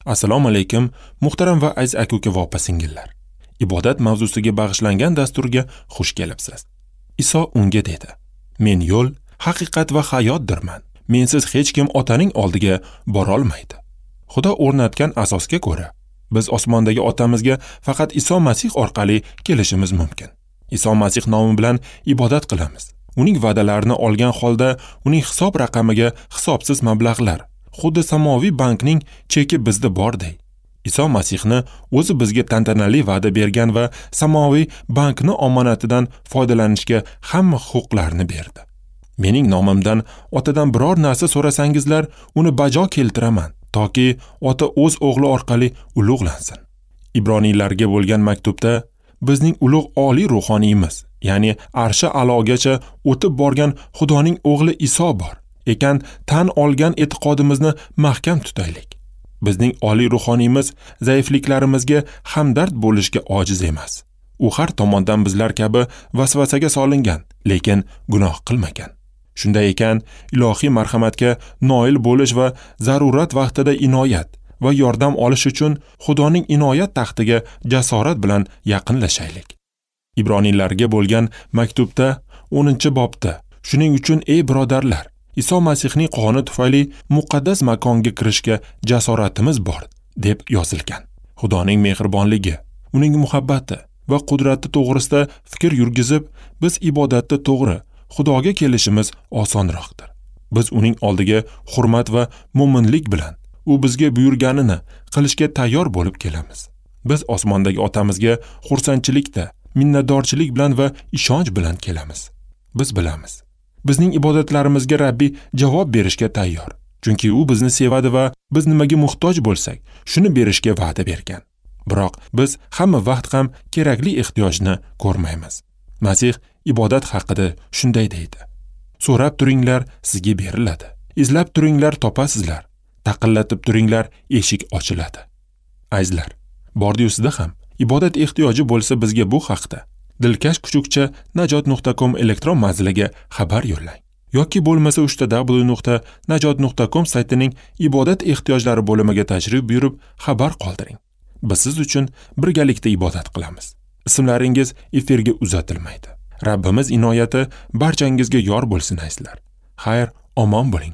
Assalomu alaykum, muhtaram va aziz aka-uka va opa-singillar. Ibodat mavzusiga bag'ishlangan dasturga xush kelibsiz. Iso unga dedi: "Men yo'l, haqiqat va hayotdirman. Mensiz hech kim Otaning oldiga bora olmaydi." Xudo o'rnatgan asosga ko'ra, biz osmondagi Otamizga faqat Iso Masih orqali kelishimiz mumkin. Iso Masih nomi bilan ibodat qilamiz. Uning va'dalarini olgan holda uning hisob raqamiga hisobsiz mablag'lar, xuddi samoviy bankning cheki bizda borday. Iso Masihni o'zi bizga tantanali va'da bergan va samoviy bankni omonatidan foydalanishga hamma huquqlarni berdi. Mening nomimdan Otadan biror narsa so'rasangizlar, uni bajo keltiraman, toki Ota o'z o'g'li orqali ulug'lansin. Ibroniylarga bo'lgan maktubda bizning ulug' oliy ruhoniyimiz, ya'ni arshi a'logacha o'tib borgan Xudoning o'g'li Iso bor ekan, tan olgan e'tiqodimizni mahkam tutaylik. Bizning oliy ruhoniyimiz zaifliklarimizga hamdard bo'lishga ojiz emas. U har tomondan bizlar kabi vasvasaga solingan, lekin gunoh qilmagan. Shunday ekan, ilohiy marhamatga noil bo'lish va zarurat vaqtida inoyat va yordam olish uchun Xudoning inoyat taxtiga jasorat bilan yaqinlashaylik. Ibroniylarga bo'lgan maktubda 10-bobda shuning uchun ey birodarlar, Iso Masihning qoni tufayli muqaddas makonga kirishga jasoratimiz bor, deb yozilgan. Xudoning mehribonligi, uning muhabbati va qudrati to'g'risida fikr yurgizib, biz ibodatda to'g'ri Xudoga kelishimiz osonroqdir. Biz uning oldiga hurmat va mo'minlik bilan u bizga buyurganini qilishga tayyor bo'lib kelamiz. Biz osmondagi Otamizga xursandchilikda, minnatdorchilik bilan va ishonch bilan kelamiz. Biz bilamiz, bizning ibodatlarimizga Rabbi javob berishga tayyor. Chunki u bizni sevadi va biz nimaga muhtoj bo'lsak, shuni berishga va'da bergan. Biroq biz hamma vaqt ham kerakli ehtiyojni ko'rmaymiz. Masih ibodat haqida shunday deydi: "So'rab turinglar, sizga beriladi. Izlab turinglar, topasizlar. Taqillatib turinglar, eshik ochiladi." Azizlar, bordi-yusida ham ibodat ehtiyoji bo'lsa bizga bu haqda dilkash kuchukcha najot.com elektron manziliga xabar yo'llang yoki bo'lmasa www.najot.com saytining ibodat ehtiyojlari bo'limiga tashrif buyurib xabar qoldiring. Biz siz uchun birgalikda ibodat qilamiz. Ismlaringiz efirga uzatilmaydi. Rabbimiz inoyati barchangizga yor bo'lsin azizlar. Xayr, omon bo'ling.